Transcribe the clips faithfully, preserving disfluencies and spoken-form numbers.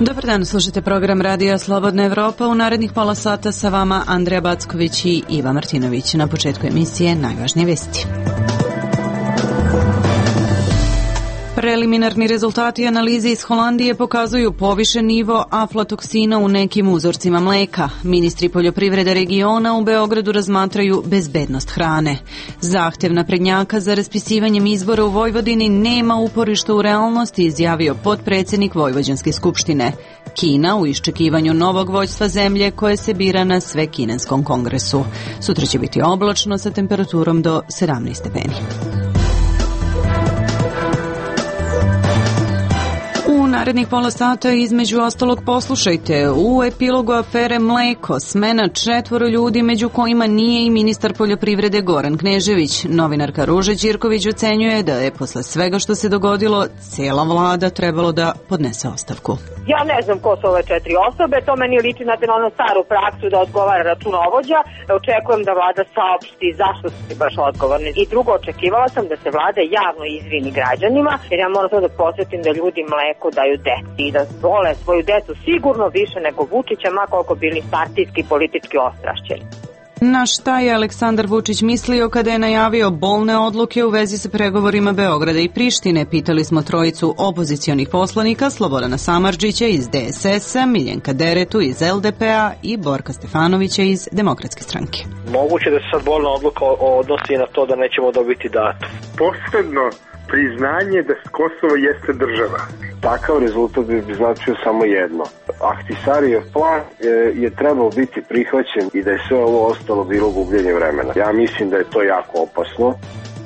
Dobar dan, slušate program Radija Slobodna Evropa. U narednih pola sata sa vama Andreja Backović i Iva Martinović. Na početku emisije najvažnije vesti. Preliminarni rezultati analize iz Holandije pokazuju povišen nivo aflatoksina u nekim uzorcima mleka. Ministri poljoprivrede regiona u Beogradu razmatraju bezbednost hrane. Zahtev naprednjaka za raspisivanjem izbora u Vojvodini nema uporišta u realnosti, izjavio potpredsjednik Vojvođanske skupštine. Kina u iščekivanju novog vođstva zemlje koje se bira na Svekinenskom kongresu. Sutra će biti oblačno sa temperaturom do sedamnaest stepeni. U narednih pola sata između ostalog poslušajte: u epilogu afere Mleko smena četvoro ljudi, među kojima nije i ministar poljoprivrede Goran Knežević. Novinarka Ruža Ćirković ocenjuje da je posle svega što se dogodilo cijela vlada trebalo da podnese ostavku. Ja ne znam ko su ove četiri osobe, to meni liči na onu staru praksu da odgovara računovođa. Očekujem da vlada saopšti zašto su baš odgovorni. I drugo, očekivala sam da se vlada javno izvini građanima, jer ja moram to da posjetim da ljudi mleko daju deci i da vole svoju decu sigurno više nego Vučića, ma koliko bili partijski i politički ostrašćeni. Na šta je Aleksandar Vučić mislio kada je najavio bolne odluke u vezi sa pregovorima Beograda i Prištine? Pitali smo trojicu opozicionih poslanika: Slobodana Samardžića iz D S S-a, Miljenka Deretu iz L D P-a i Borka Stefanovića iz Demokratske stranke. Moguće da se sad bolna odluka odnosi na to da nećemo dobiti datum. Posebno priznanje da Kosovo jeste država. Takav rezultat bi značio samo jedno. Ahtisarijev plan je, je trebao biti prihvaćen i da je sve ovo ostalo bilo gubljenje vremena. Ja mislim da je to jako opasno.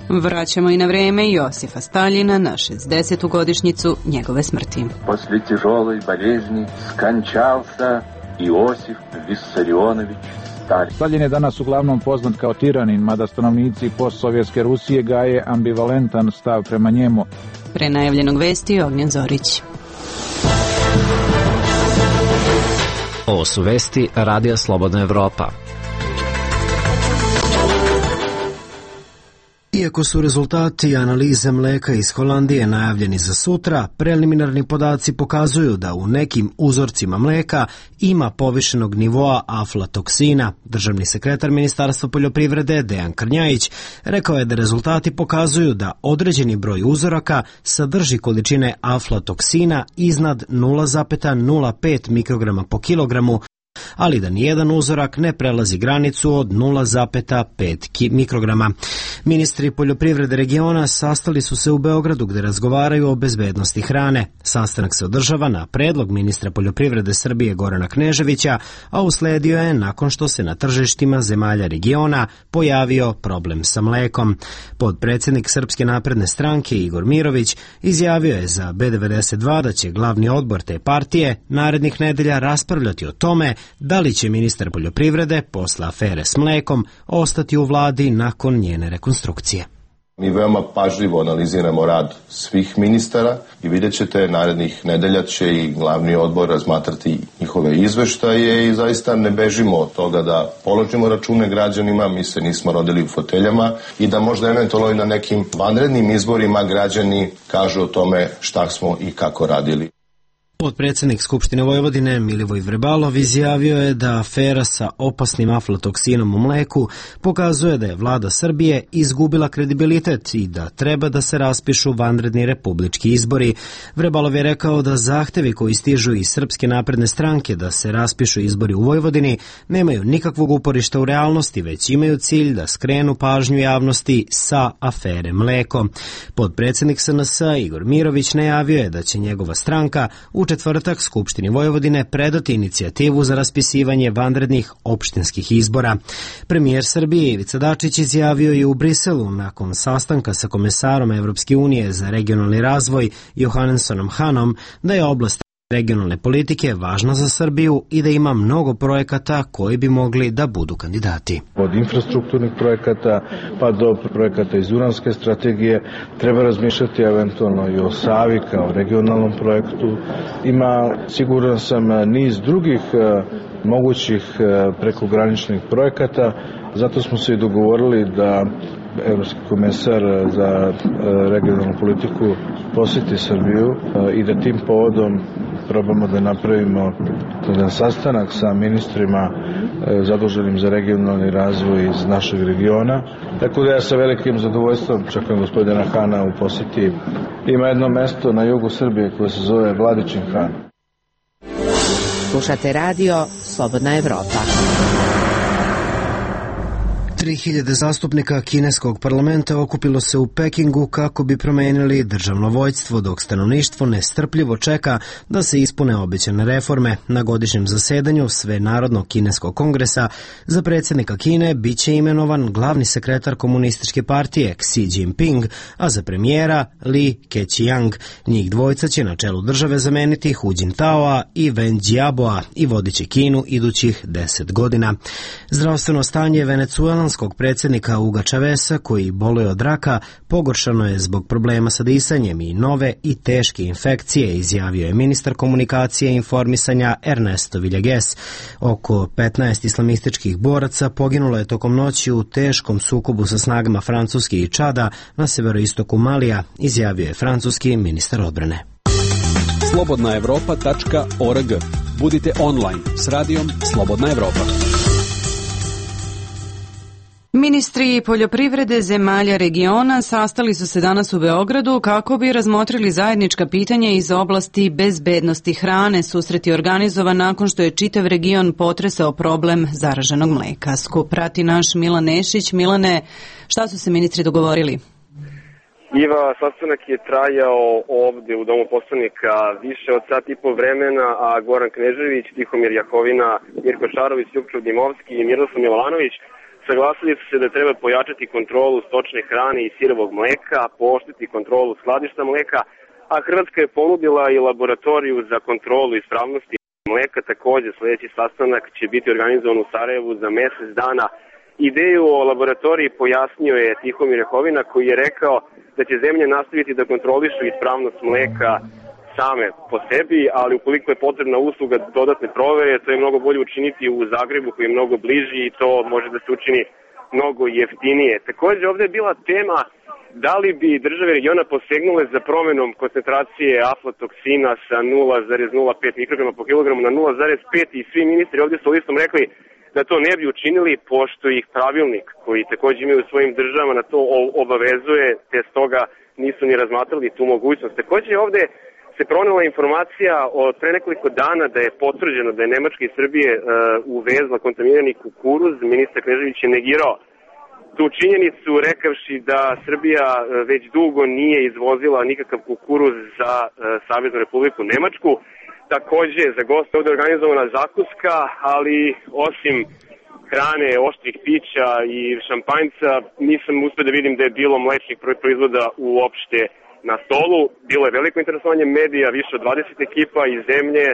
Vraćamo i na vreme Josifa Staljina na šezdesetu godišnjicu njegove smrti. Posle težoloj bolezни skančался Josif Vissarionović Stalin. Stalin je danas uglavnom poznat kao tiranin, mada stanovnici postsovjetske Rusije gaje ambivalentan stav prema njemu. Pre najavljenog vesti Ognjen Zorić. Ovo su vesti Radija Slobodna Evropa. Iako su rezultati analize mleka iz Holandije najavljeni za sutra, preliminarni podaci pokazuju da u nekim uzorcima mleka ima povišenog nivoa aflatoksina. Državni sekretar Ministarstva poljoprivrede Dejan Krnjajić rekao je da rezultati pokazuju da određeni broj uzoraka sadrži količine aflatoksina iznad nula zarez nula pet mikrograma po kilogramu, ali da nijedan uzorak ne prelazi granicu od nula zarez pet mikrograma. Ministri poljoprivrede regiona sastali su se u Beogradu gde razgovaraju o bezbednosti hrane. Sastanak se održava na predlog ministra poljoprivrede Srbije Gorana Kneževića, a usledio je nakon što se na tržištima zemalja regiona pojavio problem sa mlekom. Podpredsjednik Srpske napredne stranke Igor Mirović izjavio je za B devedeset dva da će glavni odbor te partije narednih nedelja raspravljati o tome da li će ministar poljoprivrede posle afere s mlekom ostati u vladi nakon njene rekonstrukcije. Mi veoma pažljivo analiziramo rad svih ministara i vidjet ćete, narednih nedelja će i glavni odbor razmatrati njihove izveštaje i zaista ne bežimo od toga da položimo račune građanima, mi se nismo rodili u foteljama i da možda eventualno i na nekim vanrednim izborima građani kažu o tome šta smo i kako radili. Potpredsjednik Skupštine Vojvodine Milivoj Vrebalov izjavio je da afera sa opasnim aflatoksinom u mleku pokazuje da je vlada Srbije izgubila kredibilitet i da treba da se raspišu vanredni republički izbori. Vrebalov je rekao da zahtevi koji stižu iz Srpske napredne stranke da se raspišu izbori u Vojvodini nemaju nikakvog uporišta u realnosti, već imaju cilj da skrenu pažnju javnosti sa afere mleko. Potpredsjednik S N S-a Igor Mirović najavio je da će njegova stranka u četvrtak Skupštini Vojvodine predati inicijativu za raspisivanje vanrednih opštinskih izbora. Premijer Srbije Ivica Dačić izjavio je u Briselu nakon sastanka sa komesarom Evropske unije za regionalni razvoj Johannesonom Hanom da je oblast regionalne politike važna za Srbiju i da ima mnogo projekata koji bi mogli da budu kandidati. Od infrastrukturnih projekata pa do projekata iz Duranske strategije treba razmišljati eventualno i o Savi kao regionalnom projektu. Ima, siguran sam, niz drugih mogućih prekograničnih projekata, zato smo se i dogovorili da Evropski komesar za regionalnu politiku posjeti Srbiju i da tim povodom probamo da napravimo jedan sastanak sa ministrima zaduženim za regionalni razvoj iz našeg regiona. Tako da ja sa velikim zadovoljstvom čekam gospodina Hana u poseti. Ima jedno mesto na jugu Srbije koje se zove Vladičin Han. Slušate radio Slobodna Evropa. tri hiljade zastupnika kineskog parlamenta okupilo se u Pekingu kako bi promenili državno vođstvo, dok stanovništvo nestrpljivo čeka da se ispune obećane reforme. Na godišnjem zasedanju Svenarodnog kineskog kongresa za predsjednika Kine biće imenovan glavni sekretar komunističke partije Xi Jinping, a za premijera Li Keqiang. Njih dvojica će na čelu države zameniti Hu Jintaoa i Wen Jiaboa i vodiće Kinu idućih deset godina. Zdravstveno stanje venecuelanskog predsjednika Huga Chavesa, koji boluje od raka, pogoršano je zbog problema sa disanjem i nove i teške infekcije, izjavio je ministar komunikacije i informisanja Ernesto Villegas. Oko petnaest islamističkih boraca poginulo je tokom noći u teškom sukobu sa snagama Francuske i Čada na severoistoku Malija, izjavio je francuski ministar odbrane. slobodna evropa tačka org. Budite online s radijom Slobodna Evropa. Ministri poljoprivrede zemalja regiona sastali su se danas u Beogradu kako bi razmotrili zajednička pitanja iz oblasti bezbednosti hrane. Susret je organizovan nakon što je čitav region potresao problem zaraženog mleka. Skup prati naš Milan Nešić. Milane, šta su se ministri dogovorili? Iva, sastanak je trajao ovde u Domu poslanika više od sat i po vremena, a Goran Knežević, Tihomir Jakovina, Mirko Šarović, Ljupčov Dimovski i Miroslav Milovanović saglasili su se da treba pojačati kontrolu stočne hrane i sirovog mleka, pooštriti kontrolu skladišta mleka, a Hrvatska je ponudila i laboratoriju za kontrolu ispravnosti mleka. Takođe, sljedeći sastanak će biti organizovan u Sarajevu za mesec dana. Ideju o laboratoriji pojasnio je Tihomir Jakovina, koji je rekao da će zemlje nastaviti da kontrolišu ispravnost mleka same po sebi, ali ukoliko je potrebna usluga dodatne provere, to je mnogo bolje učiniti u Zagrebu, koji je mnogo bliži, i to može da se učini mnogo jeftinije. Takođe, ovde je bila tema da li bi države regiona posegnule za promenom koncentracije aflatoksina sa nula zarez nula pet mikrograma po kilogramu na nula zarez pet, i svi ministri ovde su listom rekli da to ne bi učinili, pošto ih pravilnik, koji takođe imaju u svojim državama, na to obavezuje, te stoga nisu ni razmatrali tu mogućnost. Takođe, ovde se pronela informacija od pre nekoliko dana da je potvrđeno da je Nemačka iz Srbije uh, uvezla kontaminirani kukuruz. Ministar Knežević je negirao tu činjenicu, rekavši da Srbija uh, već dugo nije izvozila nikakav kukuruz za uh, Saveznu Republiku Nemačku. Takođe, za goste ovde je organizovana zakuska, ali osim hrane, oštrih pića i šampanjca, nisam uspio da vidim da je bilo mlečnih proizvoda uopšte na stolu. Bilo je veliko interesovanje medija, više od dvadeset ekipa iz zemlje,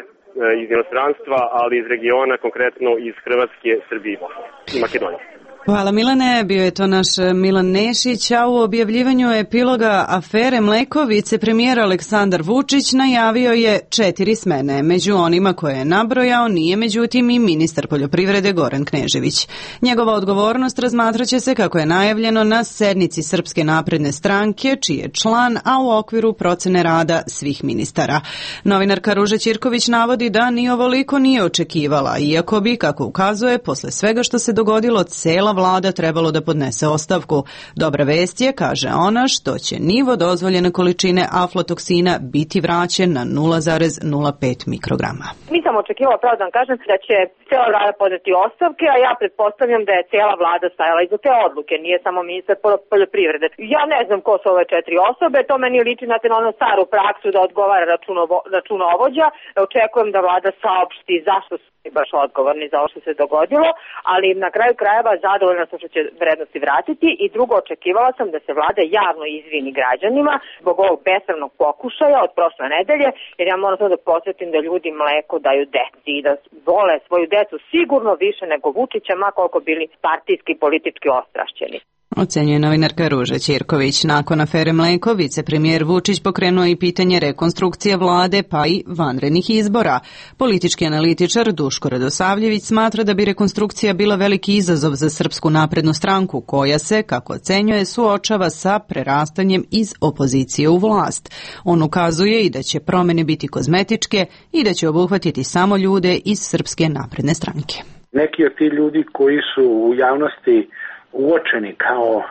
iz inostranstva, ali iz regiona, konkretno iz Hrvatske, Srbije i Bosne i Makedonije. Hvala Milane, bio je to naš Milan Nešić, a u objavljivanju epiloga afere Mleko vicepremijer Aleksandar Vučić najavio je četiri smene. Među onima koje je nabrojao nije međutim i ministar poljoprivrede Goran Knežević. Njegova odgovornost razmatraće se, kako je najavljeno, na sednici Srpske napredne stranke, čiji je član, a u okviru procene rada svih ministara. Novinarka Ruža Ćirković navodi da ni ovoliko nije očekivala, iako bi, kako ukazuje, posle svega što se dogodilo, cela vlada trebalo da podnese ostavku. Dobra vest je, kaže ona, što će nivo dozvoljene količine aflatoksina biti vraćen na nula zarez nula pet mikrograma. Nisam očekivala, pravo da vam kažem, da će cela vlada podneti ostavke, a ja pretpostavljam da je cela vlada stajala iza te odluke, nije samo ministar poljoprivrede. Ja ne znam ko su ove četiri osobe, to meni liči na onu staru praksu da odgovara računovo, računovođa. Očekujem da vlada saopšti zašto su baš odgovorni za ovo što se dogodilo, ali na kraju krajeva zadovoljna sam što će vrednosti vratiti, i drugo, očekivala sam da se vlada javno izvini građanima zbog ovog besramnog pokušaja od prošle nedelje, jer ja moram samo da podsjetim da ljudi mleko daju deci i da vole svoju decu sigurno više nego Vučića, ma koliko bili partijski politički ostrašćeni. Ocenjuje novinarka Ruža Ćirković. Nakon afere Mleko, vicepremijer Vučić pokrenuo i pitanje rekonstrukcije vlade pa i vanrednih izbora. Politički analitičar Duško Radosavljević smatra da bi rekonstrukcija bila veliki izazov za Srpsku naprednu stranku, koja se, kako ocenjuje, suočava sa prerastanjem iz opozicije u vlast. On ukazuje i da će promene biti kozmetičke i da će obuhvatiti samo ljude iz Srpske napredne stranke. Neki od ti ljudi koji su u javnosti uočeni kao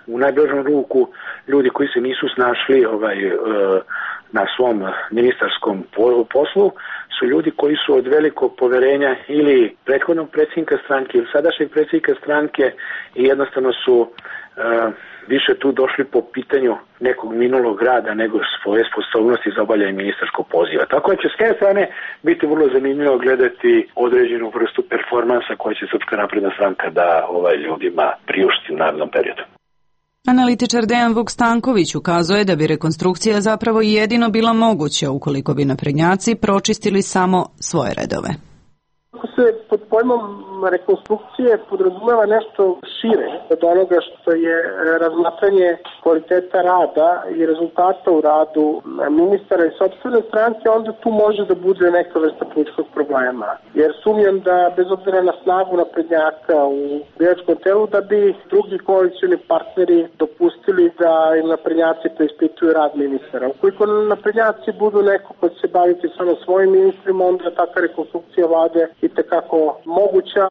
u najblažom ruku ljudi koji se nisu snašli ovaj, na svom ministarskom poslu su ljudi koji su od velikog poverenja ili prethodnog predsjednika stranke ili sadašnjeg predsjednika stranke i jednostavno su više tu došli po pitanju nekog minulog rada nego svoje sposobnosti za obavljanje ministarskog poziva. Tako da će s jedne strane biti vrlo zanimljivo gledati određenu vrstu performansa koja će Srpska napredna stranka da ovaj ljudima priušti u narednom periodu. Analitičar Dejan Vuk-Stanković ukazuje da bi rekonstrukcija zapravo jedino bila moguća ukoliko bi naprednjaci pročistili samo svoje redove. Ako se pod pojmom rekonstrukcije podrazumeva nešto šire od onoga što je razmatranje kvaliteta rada i rezultata u radu ministara i sopstvene stranke, onda tu može da bude neka vrsta političkog problema. Jer sumnjam da, bez obzira na snagu naprednjaka u biračkom telu, da bi drugi koalicioni partneri dopustili da im naprednjaci preispituju rad ministara. Ukoliko naprednjaci budu neko ko će se baviti samo svojim ministrima, onda takva rekonstrukcija vlade i tekako moguća.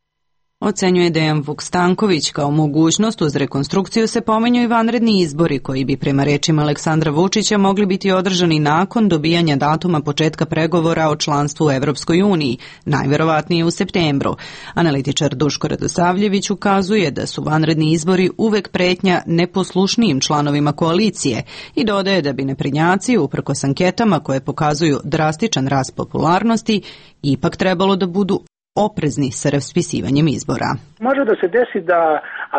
Ocenjuje Dejan Vuk-Stanković. Kao mogućnost uz rekonstrukciju se pominju i vanredni izbori koji bi prema rečima Aleksandra Vučića mogli biti održani nakon dobijanja datuma početka pregovora o članstvu u Evropskoj uniji, najverovatnije u septembru. Analitičar Duško Radosavljević ukazuje da su vanredni izbori uvek pretnja neposlušnijim članovima koalicije i dodaje da bi naprednjaci, uprkos anketama koje pokazuju drastičan rast popularnosti, ipak trebalo da budu oprezni sa raspisivanjem izbora. Može da se desi da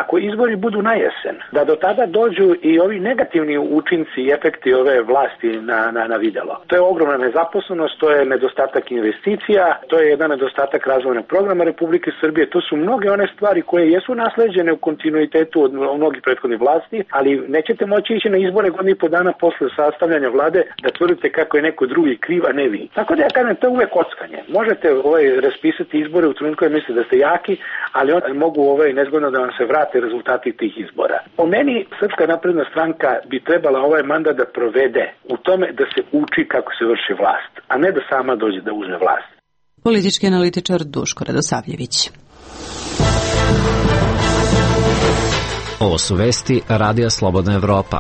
ako izbori budu na jesen, da do tada dođu i ovi negativni učinci i efekti ove vlasti na, na, na videlo. To je ogromna nezaposlenost, to je nedostatak investicija, to je jedan nedostatak razvojnog programa Republike Srbije, to su mnoge one stvari koje jesu nasleđene u kontinuitetu od mnogih prethodnih vlasti, ali nećete moći ići na izbore godinu i po dana posle sastavljanja vlade da tvrdite kako je neko drugi kriv, a ne vi. Tako da ja kažem, to je uvek kockanje. Možete ovaj, raspisati izbore u trenutku kad mislite da ste jaki, ali on mogu ovaj nezgodno da vam se vrate rezultati tih izbora. Po meni Srpska napredna stranka bi trebala ovaj mandat da provede u tome da se uči kako se vrši vlast, a ne da sama dođe da uzme vlast. Politički analitičar Duško Radosavljević. Ovo su vesti Radija Slobodna Evropa.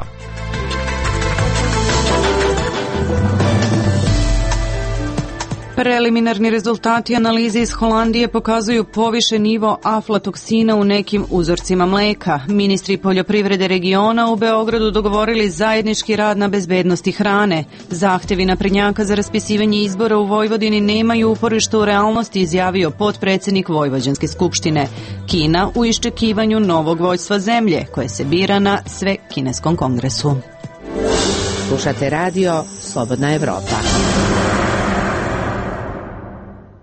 Preliminarni rezultati analize iz Holandije pokazuju povišen nivo aflatoksina u nekim uzorcima mleka. Ministri poljoprivrede regiona u Beogradu dogovorili zajednički rad na bezbednosti hrane. Zahtevi naprednjaka za raspisivanje izbora u Vojvodini nemaju uporište u realnosti, izjavio potpredsednik Vojvođanske skupštine. Kina u iščekivanju novog vođstva zemlje, koje se bira na Svekineskom kongresu. Slušate radio Slobodna Evropa.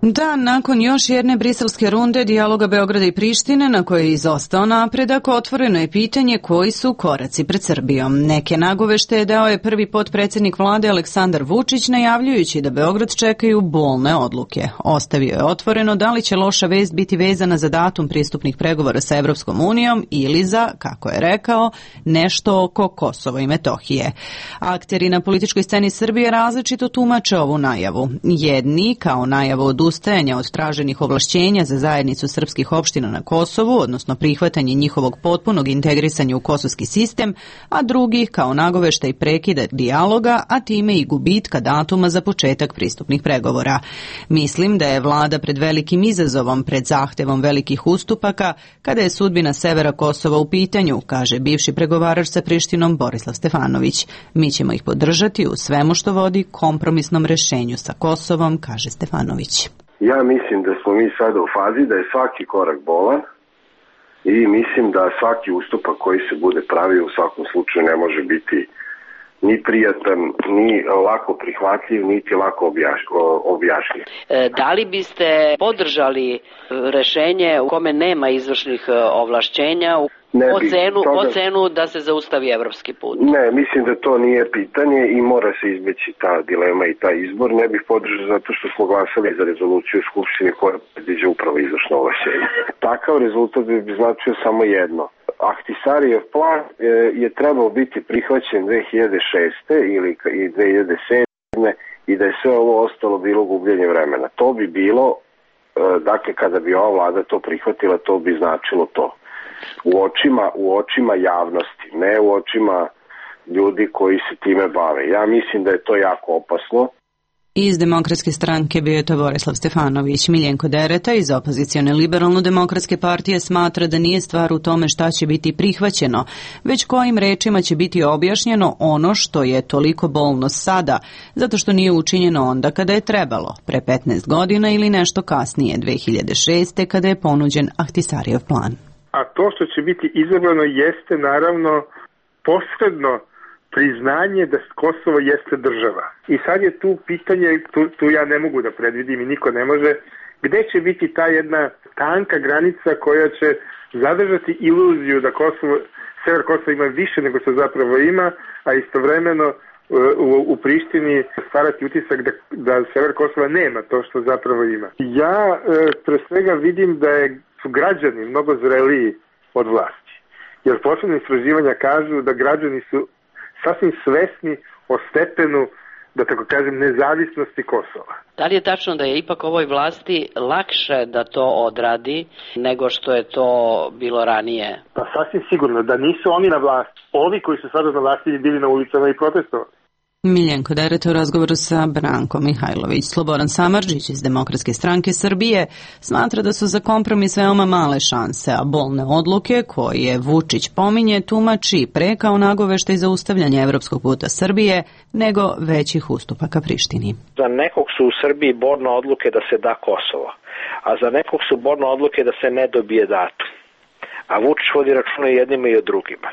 Da, nakon još jedne briselske runde dijaloga Beograda i Prištine, na kojoj je izostao napredak, otvoreno je pitanje koji su koraci pred Srbijom. Neke nagovešte dao je prvi potpredsednik vlade Aleksandar Vučić, najavljujući da Beograd čekaju bolne odluke. Ostavio je otvoreno da li će loša vest biti vezana za datum pristupnih pregovora sa Evropskom unijom ili za, kako je rekao, nešto oko Kosova i Metohije. Akteri na političkoj sceni Srbije različito tumače ovu najavu. Jedni, kao najavu od ustajanja od traženih ovlašćenja za zajednicu srpskih opština na Kosovu, odnosno prihvatanje njihovog potpunog integrisanja u kosovski sistem, a drugi kao nagoveštaj prekida dijaloga, a time i gubitka datuma za početak pristupnih pregovora. Mislim da je vlada pred velikim izazovom, pred zahtevom velikih ustupaka, kada je sudbina severa Kosova u pitanju, kaže bivši pregovarač sa Prištinom Borislav Stefanović. Mi ćemo ih podržati u svemu što vodi kompromisnom rešenju sa Kosovom, kaže Stefanović. Ja mislim da smo mi sada u fazi da je svaki korak bolan i mislim da svaki ustupak koji se bude pravio u svakom slučaju ne može biti ni prijatan, ni lako prihvatljiv, niti lako objašnjiv. Da li biste podržali rešenje u kome nema izvršnih ovlašćenja? ne o, bi cenu, toga... o cenu da se zaustavi evropski put. Ne, mislim da to nije pitanje i mora se izbeći ta dilema i taj izbor. Ne bih podržao zato što smo glasali za rezoluciju u Skupštini koja predviđa upravo izvršno ovlašćenje. Takav rezultat bi značio samo jedno. Ahtisarijev plan je trebao biti prihvaćen dve hiljade šeste ili i dve hiljade sedme i da je sve ovo ostalo bilo gubljenje vremena. To bi bilo, dakle, kada bi ova vlada to prihvatila, to bi značilo to. U očima, u očima javnosti, ne u očima ljudi koji se time bave. Ja mislim da je to jako opasno. Iz Demokratske stranke bio je to Borislav Stefanović. Miljenko Dereta iz opozicione liberalno-demokratske partije smatra da nije stvar u tome šta će biti prihvaćeno, već kojim rečima će biti objašnjeno ono što je toliko bolno sada, zato što nije učinjeno onda kada je trebalo, pre petnaest godina ili nešto kasnije, dve hiljade šeste, kada je ponuđen Ahtisarijev plan. A to što će biti izabrano jeste naravno posredno priznanje da Kosovo jeste država. I sad je tu pitanje, tu, tu ja ne mogu da predvidim i niko ne može, gde će biti ta jedna tanka granica koja će zadržati iluziju da Kosovo, sever Kosova ima više nego što zapravo ima, a istovremeno u, u Prištini stvarati utisak da, da sever Kosova nema to što zapravo ima. Ja e, pre svega vidim da je, su građani mnogo zreliji od vlasti. Jer poslednje istraživanja kažu da građani su sasvim svesni o stepenu, da tako kažem, nezavisnosti Kosova. Da li je tačno da je ipak ovoj vlasti lakše da to odradi nego što je to bilo ranije? Pa sasvim sigurno, da nisu oni na vlasti. Ovi koji su sada na vlasti bili na ulicama i protestovali. Miljenko Dereta u razgovoru sa Brankom Mihajlović. Slobodan Samardžić iz Demokratske stranke Srbije smatra da su za kompromis veoma male šanse, a bolne odluke koje Vučić pominje tumači pre kao nagoveštaj za ustavljanje evropskog puta Srbije nego većih ustupaka Prištini. Za nekog su u Srbiji bolne odluke da se da Kosovo, a za nekog su bolne odluke da se ne dobije datum. A Vučić vodi računa i jednima i o drugima.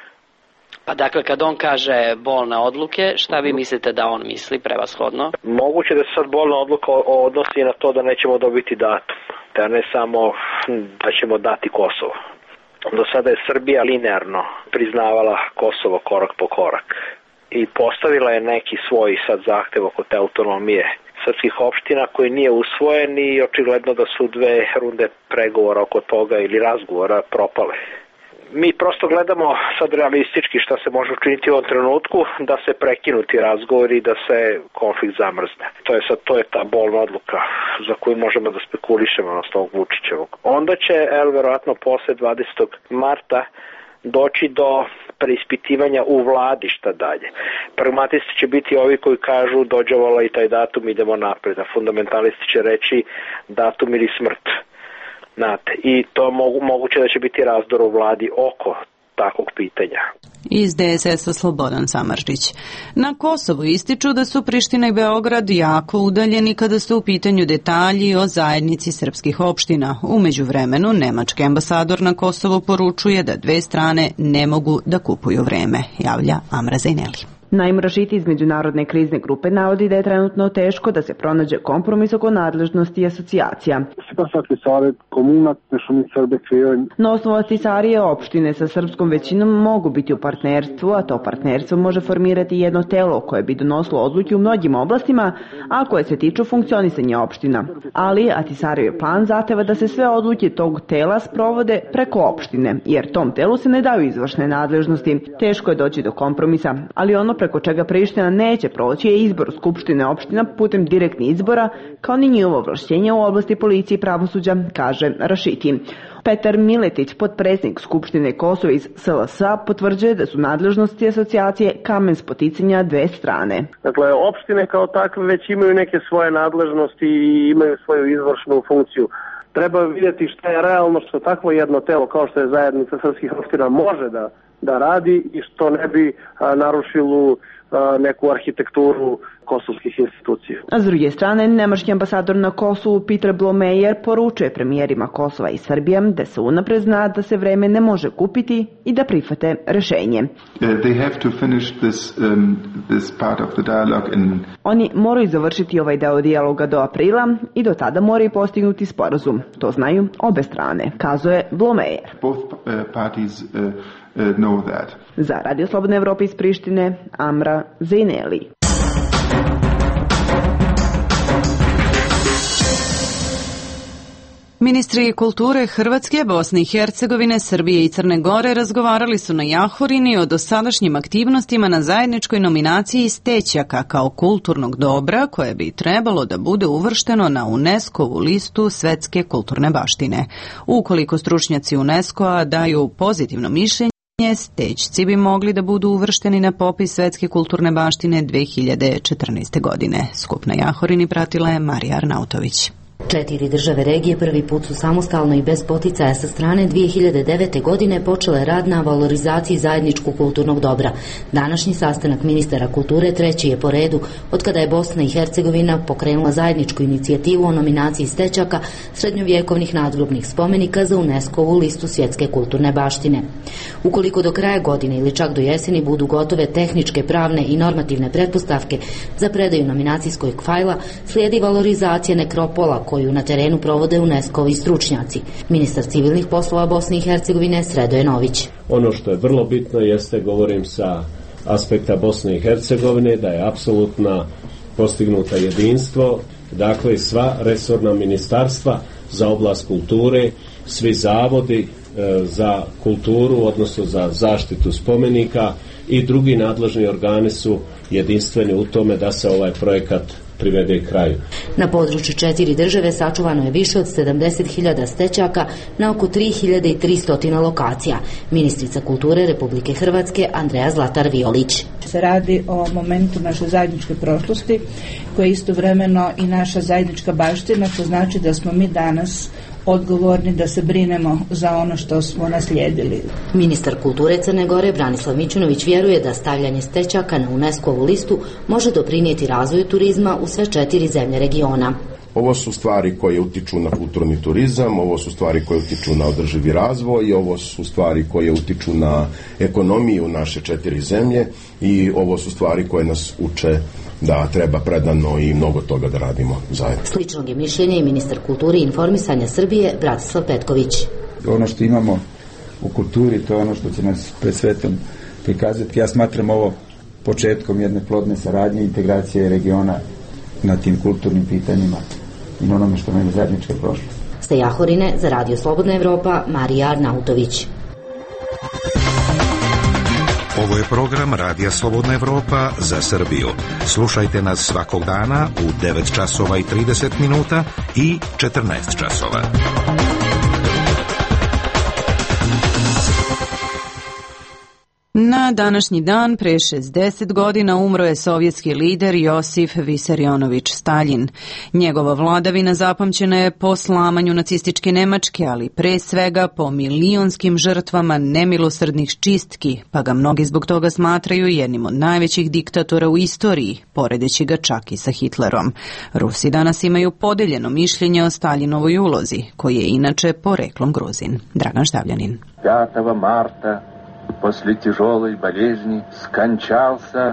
Pa dakle, kad on kaže bolne odluke, šta vi mislite da on misli prevashodno? Moguće da se sad bolna odluka odnosi na to da nećemo dobiti datum, da ne samo da ćemo dati Kosovo. Do sada je Srbija linearno priznavala Kosovo korak po korak i postavila je neki svoj sad zahtev oko te autonomije srpskih opština koji nije usvojen i očigledno da su dve runde pregovora oko toga ili razgovora propale. Mi prosto gledamo sad realistički šta se može učiniti u ovom trenutku, da se prekinu ti razgovori i da se konflikt zamrzne. To je sad, to je ta bolna odluka za koju možemo da spekulišemo na ovog Vučićevog. Onda će, el, verovatno posle dvadesetog marta doći do preispitivanja u vladi šta dalje. Pragmatisti će biti ovi koji kažu dođevala i taj datum, idemo napred, a fundamentalisti će reći datum ili smrt. Znate, i to mogu, moguće da će biti razdor u vladi oko takvog pitanja. Iz de es es-a Slobodan Samardžić. Na Kosovu ističu da su Priština i Beograd jako udaljeni kada su u pitanju detalji o zajednici srpskih opština. U međuvremenu, nemački ambasador na Kosovu poručuje da dve strane ne mogu da kupuju vreme, javlja Amra Zajneli. Naim Rašiti iz Međunarodne krizne grupe navodi da je trenutno teško da se pronađe kompromis oko nadležnosti i asocijacija. Na osnovu Ahtisarije opštine sa srpskom većinom mogu biti u partnerstvu, a to partnerstvo može formirati jedno telo koje bi donosilo odluke u mnogim oblastima, a koje se tiču funkcionisanja opština. Ali Ahtisarijev plan zahteva da se sve odluke tog tela sprovode preko opštine, jer tom telu se ne daju izvršne nadležnosti. Teško je doći do kompromisa, ali ono preko čega Priština neće proći je izbor Skupštine opština putem direktnih izbora, kao ni njihovo ovlašćenje u oblasti policije i pravosuđa, kaže Rašiti. Petar Miletić, potpredsjednik Skupštine Kosova iz es el es a, potvrđuje da su nadležnosti asocijacije kamen spoticanja dve strane. Dakle, opštine kao takve već imaju neke svoje nadležnosti i imaju svoju izvršnu funkciju. Treba vidjeti šta je realno, što takvo jedno telo kao što je zajednica srpskih opština može da da radi i što ne bi a, narušilo a, neku arhitekturu kosovskih institucija. A s druge strane, nemački ambasador na Kosovu Peter Blomeyer poručuje premijerima Kosova i Srbije da se unapred zna da se vreme ne može kupiti i da prihvate rešenje. They have to finish this, um, this part of the dialogue in... Oni moraju završiti ovaj deo dijaloga do aprila i do tada moraju postignuti sporazum. To znaju obe strane, kazuje Blomeyer. Both uh, parties uh, uh, know that. Za Radio Slobodne Evrope iz Prištine, Amra Zejneli. Ministri kulture Hrvatske, Bosne i Hercegovine, Srbije i Crne Gore razgovarali su na Jahorini o dosadašnjim aktivnostima na zajedničkoj nominaciji Stećaka kao kulturnog dobra koje bi trebalo da bude uvršteno na UNESCO-vu listu svetske kulturne baštine. Ukoliko stručnjaci UNESCO-a daju pozitivno mišljenje, Stećci bi mogli da budu uvršteni na popis svetske kulturne baštine dve hiljade četrnaeste. godine. Skup na Jahorini pratila je Marija Arnautović. Četiri države regije prvi put su samostalno i bez poticaja sa strane dve hiljade devete. godine počele rad na valorizaciji zajedničkog kulturnog dobra. Današnji sastanak ministara kulture treći je po redu od kada je Bosna i Hercegovina pokrenula zajedničku inicijativu o nominaciji Stećaka srednjovjekovnih nadgrobnih spomenika za UNESCO-vu listu svjetske kulturne baštine. Ukoliko do kraja godine ili čak do jeseni budu gotove tehničke, pravne i normativne pretpostavke za predaju nominacijskog fajla, slijedi valorizacija nekropola koju na terenu provode UNESCO-vi stručnjaci. Ministar civilnih poslova Bosne i Hercegovine Sredoje Nović. Ono što je vrlo bitno jeste, govorim sa aspekta Bosne i Hercegovine, da je apsolutno postignuta jedinstvo, dakle sva resorna ministarstva za oblast kulture, svi zavodi e, za kulturu, odnosno za zaštitu spomenika i drugi nadležni organi su jedinstveni u tome da se ovaj projekat privede kraju. Na području četiri države sačuvano je više od sedamdeset hiljada stećaka na oko tri hiljade tristo lokacija. Ministrica kulture Republike Hrvatske Andreja Zlatar Violić. Se radi o momentu naše zajedničke prošlosti koja je istovremeno i naša zajednička baština, što znači da smo mi danas odgovorni da se brinemo za ono što smo naslijedili. Ministar kulture Crne Gore Branislav Mićunović vjeruje da stavljanje stećaka na UNESCO-vu listu može doprinijeti razvoju turizma u sve četiri zemlje regiona. Ovo su stvari koje utiču na kulturni turizam, ovo su stvari koje utiču na održivi razvoj i ovo su stvari koje utiču na ekonomiju naše četiri zemlje i ovo su stvari koje nas uče da treba predano i mnogo toga da radimo zajedno. Sličnog je mišljenja i ministar kulture i informisanja Srbije Bratislav Petković. Ono što imamo u kulturi, to je ono što će nas pred svetom prikazati. Ja smatram ovo početkom jedne plodne saradnje i integracije regiona na tim kulturnim pitanjima i na onome što nam je zajednička prošlost. Sa Jahorine za Radio Slobodna Evropa Marija Arnautović. Ovo je program Radija Slobodna Evropa za Srbiju. Slušajte nas svakog dana u devet časova i trideset minuta i četrnaest časova. Na današnji dan pre šezdeset godina umro je sovjetski lider Josif Visarionović Staljin. Njegova vladavina zapamćena je po slamanju nacističke Nemačke, ali pre svega po milionskim žrtvama nemilosrdnih čistki, pa ga mnogi zbog toga smatraju jednim od najvećih diktatora u istoriji, poredeći ga čak i sa Hitlerom. Rusi danas imaju podeljeno mišljenje o Staljinovoj ulozi, koji je inače poreklom Gruzin. Dragan Štavljanin. пятого марта после тяжелой болезни скончался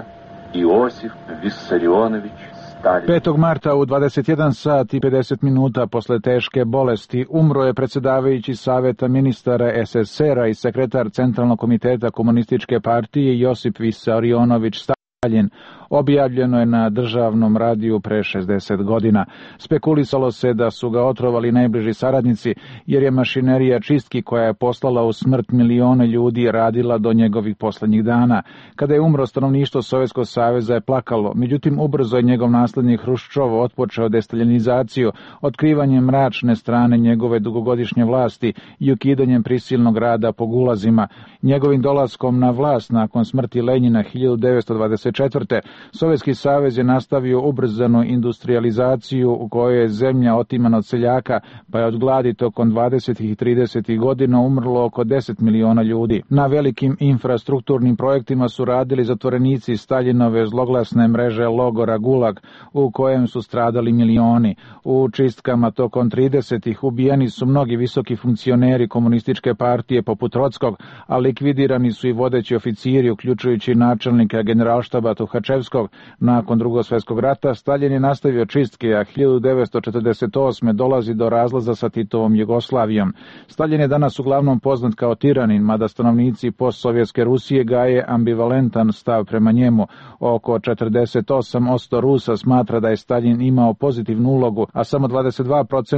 Иосиф Виссарионович Сталин. petog marta u dvadeset jedan sat i pedeset minuta posle teške bolesti umro je predsjedavajući Saveta ministara es es es era i sekretar Centralnog komiteta Komunističke partije Josip Visarionović Stalin. Objavljeno je na državnom radiju pre šezdeset godina. Spekulisalo se da su ga otrovali najbliži saradnici, jer je mašinerija čistki koja je poslala u smrt milione ljudi radila do njegovih poslednjih dana. Kada je umro, stanovništvo Sovjetskog saveza je plakalo, međutim ubrzo je njegov naslednik Hruščov otpočeo destaljinizaciju, otkrivanjem mračne strane njegove dugogodišnje vlasti i ukidanjem prisilnog rada po gulazima. Njegovim dolaskom na vlast nakon smrti Lenjina hiljadu devetsto dvadeset četvrte Sovjetski savez je nastavio ubrzanu industrializaciju u kojoj je zemlja otimana od seljaka, pa je od gladi tokom dvadesetih i tridesetih godina umrlo oko deset miliona ljudi. Na velikim infrastrukturnim projektima su radili zatvorenici Staljinove zloglasne mreže logora Gulag, u kojem su stradali milioni. U čistkama tokom tridesetih ubijeni su mnogi visoki funkcioneri komunističke partije poput Trockog, a likvidirani su i vodeći oficiri, uključujući načelnika generalštaba Tuhačevskog. Nakon Drugog svjetskog rata Staljin je nastavio čistke, a hiljadu devetsto četrdeset osme dolazi do razlaza sa Titovom Jugoslavijom. Staljin je danas uglavnom poznat kao tiranin, mada stanovnici postsovjetske Rusije gaje ambivalentan stav prema njemu. Oko četrdeset osam posto Rusa smatra da je Staljin imao pozitivnu ulogu, a samo dvadeset dva posto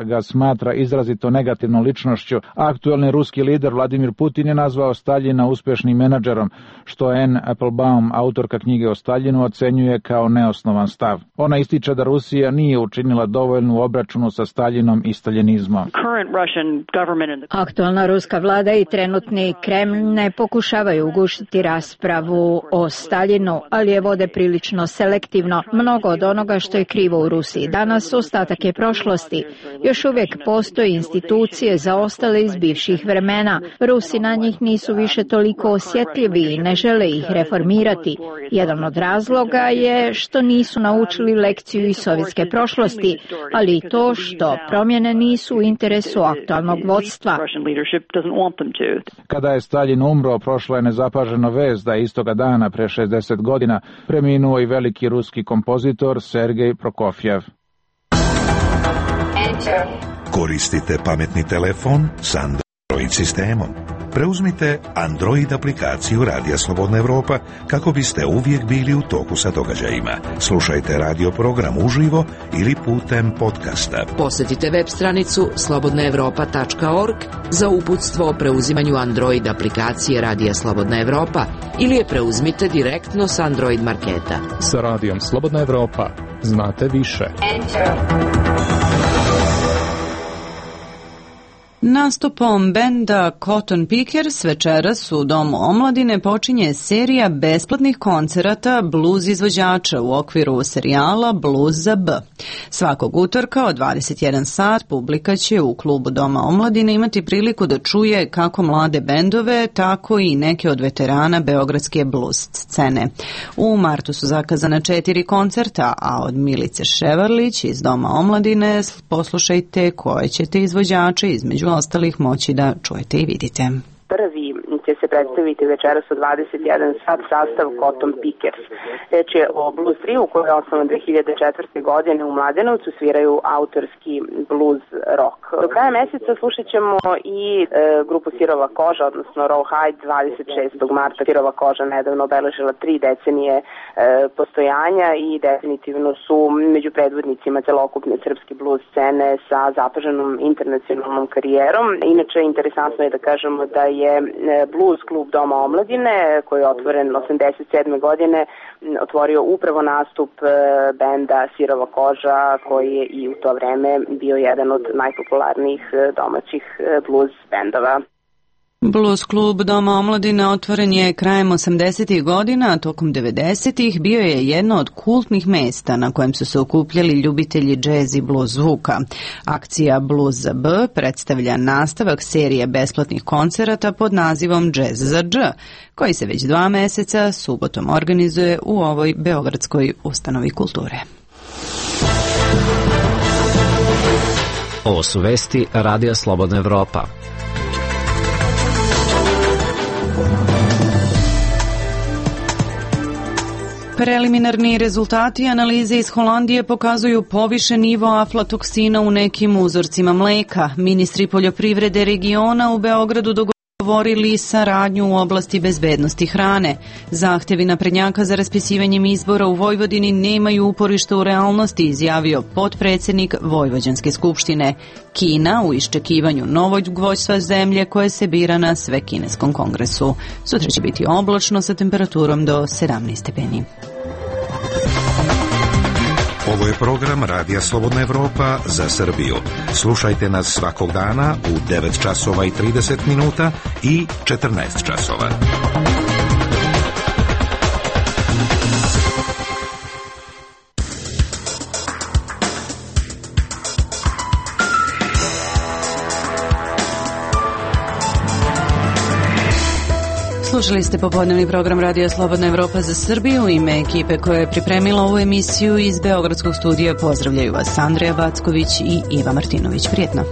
ga smatra izrazito negativnom ličnošću. Aktuelni ruski lider Vladimir Putin je nazvao Staljina uspešnim menadžerom, što Anne Applebaum, autorka knjige o Staljinu, ocenjuje kao neosnovan stav. Ona ističe da Rusija nije učinila dovoljnu obračunu sa Staljinom i staljinizmom. Aktualna ruska vlada i trenutni Kremlj ne pokušavaju ugušiti raspravu o Staljinu, ali je vode prilično selektivno. Mnogo od onoga što je krivo u Rusiji danas ostatak je prošlosti. Još uvijek postoje institucije zaostale iz bivših vremena. Rusi na njih nisu više toliko osjetljivi i ne žele ih reformirati. Jedan od razloga je što nisu naučili lekciju iz sovjetske prošlosti, ali i to što promjene nisu u interesu aktualnog vodstva. Kada je Staljin umro, prošla je nezapažena vest da je istoga dana pre šezdeset godina preminuo i veliki ruski kompozitor Sergej Prokofjev. Koristite pametni telefon s Android sistemom. Preuzmite Android aplikaciju Radija Slobodna Evropa kako biste uvijek bili u toku sa događajima. Slušajte radio program uživo ili putem podcasta. Posjetite web stranicu slobodna evropa tačka org za uputstvo o preuzimanju Android aplikacije Radija Slobodna Evropa ili je preuzmite direktno s Android marketa. Sa Radijom Slobodna Evropa znate više. Nastupom benda Cotton Pickers večeras u Domu omladine počinje serija besplatnih koncerata blues izvođača u okviru serijala Blues za B. Svakog utorka od dvadeset jedan sat publika će u klubu Doma omladine imati priliku da čuje kako mlade bendove, tako i neke od veterana beogradske blues scene. U martu su zakazana četiri koncerta, a od Milice Ševarlić iz Doma omladine poslušajte koje ćete izvođače između ostalih moći da čujete i vidite. Prvi će se predstaviti večeras u dvadeset jedan sat sastav Cotton Pickers. Reč je o blues trio koji je osnovan dve hiljade četvrte. godine u Mladenovcu, sviraju autorski blues rock. Do kraja meseca slušat ćemo i e, grupu Sirova koža, odnosno Rawhide. Dvadeset šestog marta Sirova koža nedavno obeležila tri decenije e, postojanja i definitivno su među predvodnicima celokupne srpske blues scene sa zapaženom internacionalnom karijerom. Inače, interesantno je da kažemo da je Blues klub Doma omladine, koji je otvoren osamdeset sedme. godine, otvorio upravo nastup benda Sirova koža, koji je i u to vreme bio jedan od najpopularnijih domaćih blues bendova. Blues klub Doma omladine otvoren je krajem osamdesetih godina, a tokom devedesetih bio je jedno od kultnih mesta na kojem su se okupljali ljubitelji džez i blues zvuka. Akcija Blues za B predstavlja nastavak serije besplatnih koncerata pod nazivom Džez za Dž, koji se već dva meseca subotom organizuje u ovoj beogradskoj ustanovi kulture. Ovo su vesti Radija Slobodna Evropa. Preliminarni rezultati analize iz Holandije pokazuju povišen nivo aflatoksina u nekim uzorcima mleka. Ministri poljoprivrede regiona u Beogradu dogovorili saradnju u oblasti bezbednosti hrane. Zahtevi naprednjaka za raspisivanjem izbora u Vojvodini nemaju uporište u realnosti, izjavio potpredsjednik Vojvođanske skupštine. Kina u iščekivanju novog vođstva zemlje koje se bira na Svekineskom kongresu. Sutra će biti oblačno sa temperaturom do sedamnaest stepeni. Ovo je program Radija Slobodna Evropa za Srbiju. Slušajte nas svakog dana u devet časova i trideset minuta i četrnaest časova. Slušali ste popodnevni program Radija Slobodna Evropa za Srbiju. U ime ekipe koja je pripremila ovu emisiju iz Beogradskog studija pozdravljaju vas Andreja Backović i Iva Martinović. Prijetno.